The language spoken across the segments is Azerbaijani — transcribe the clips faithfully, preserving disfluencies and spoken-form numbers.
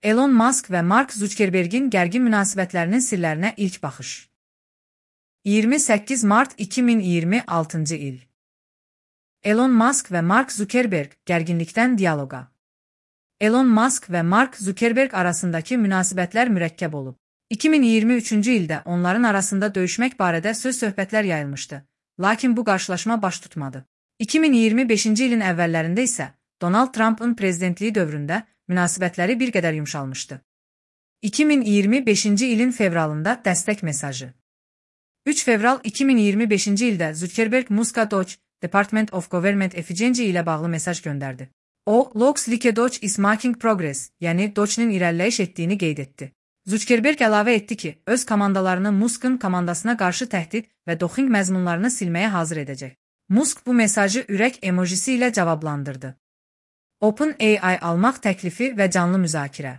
Elon Musk və Mark Zuckerbergin gərgin münasibətlərinin sirlərinə ilk baxış. iyirmi səkkiz mart iki min iyirmi altıncı il. Elon Musk və Mark Zuckerberg gərginlikdən dialoqa. Elon Musk və Mark Zuckerberg arasındakı münasibətlər mürəkkəb olub. iki min iyirmi üçüncü ildə onların arasında döyüşmək barədə söz-söhbətlər yayılmışdı, lakin bu qarşılaşma baş tutmadı. iki min iyirmi beşinci ilin əvvəllərində isə Donald Trump'ın prezidentliyi dövründə münasibətləri bir qədər yumşalmışdı. iki min iyirmi beşinci ilin fevralında dəstək mesajı. üç fevral iki min iyirmi beşinci ildə Zuckerberg Musk'a Doge, Department of Government Efficiency ilə bağlı mesaj göndərdi. O, looks like Doge is making progress, yəni Doge'nin irəliləyiş etdiyini qeyd etdi. Zuckerberg əlavə etdi ki, öz komandalarını Musk'ın komandasına qarşı təhdid və doxing məzmunlarını silməyə hazır edəcək. Musk bu mesajı ürək emojisi ilə cavablandırdı. OpenAI almaq təklifi və canlı müzakirə.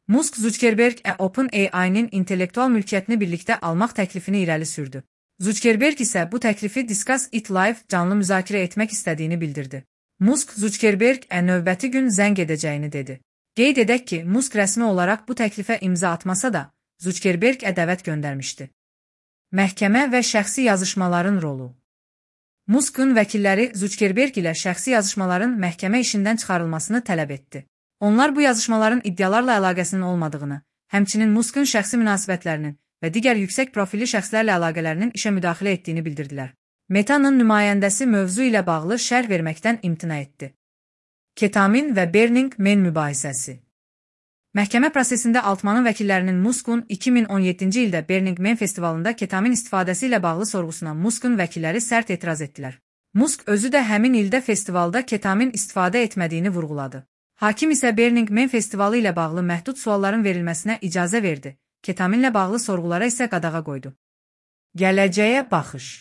Musk Zuckerberg ə OpenAI-nin intellektual mülkiyyətini birlikdə almaq təklifini irəli sürdü. Zuckerberg isə bu təklifi Discuss It Live canlı müzakirə etmək istədiyini bildirdi. Musk Zuckerberg ə növbəti gün zəng edəcəyini dedi. Qeyd edək ki, Musk rəsmi olaraq bu təklifə imza atmasa da, Zuckerberg ə dəvət göndərmişdi. Məhkəmə və şəxsi yazışmaların rolu. Musk'ın vəkilləri Zuckerberg ilə şəxsi yazışmaların məhkəmə işindən çıxarılmasını tələb etdi. Onlar bu yazışmaların iddialarla əlaqəsinin olmadığını, həmçinin Musk'ın şəxsi münasibətlərinin və digər yüksək profilli şəxslərlə əlaqələrinin işə müdaxilə etdiyini bildirdilər. Meta'nın nümayəndəsi mövzu ilə bağlı şərh verməkdən imtina etdi. Ketamin və Burning Man mübahisəsi. Məhkəmə prosesində Altmanın vəkillərinin Musk'un iki min on yeddinci ildə Burning Man festivalında ketamin istifadəsi ilə bağlı sorğusuna Musk'ın vəkilləri sərt etiraz etdilər. Musk özü də həmin ildə festivalda ketamin istifadə etmədiyini vurğuladı. Hakim isə Burning Man festivalı ilə bağlı məhdud sualların verilməsinə icazə verdi, ketaminlə bağlı sorğulara isə qadağa qoydu. Gələcəyə baxış.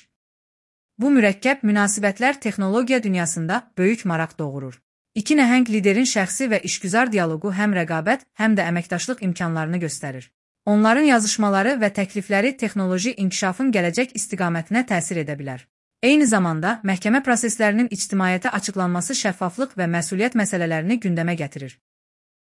Bu mürəkkəb münasibətlər texnologiya dünyasında böyük maraq doğurur. İki nəhəng liderin şəxsi və işgüzar dialoqu həm rəqabət, həm də əməkdaşlıq imkanlarını göstərir. Onların yazışmaları və təklifləri texnoloji inkişafın gələcək istiqamətinə təsir edə bilər. Eyni zamanda, məhkəmə proseslərinin ictimaiyyətə açıqlanması şəffaflıq və məsuliyyət məsələlərini gündəmə gətirir.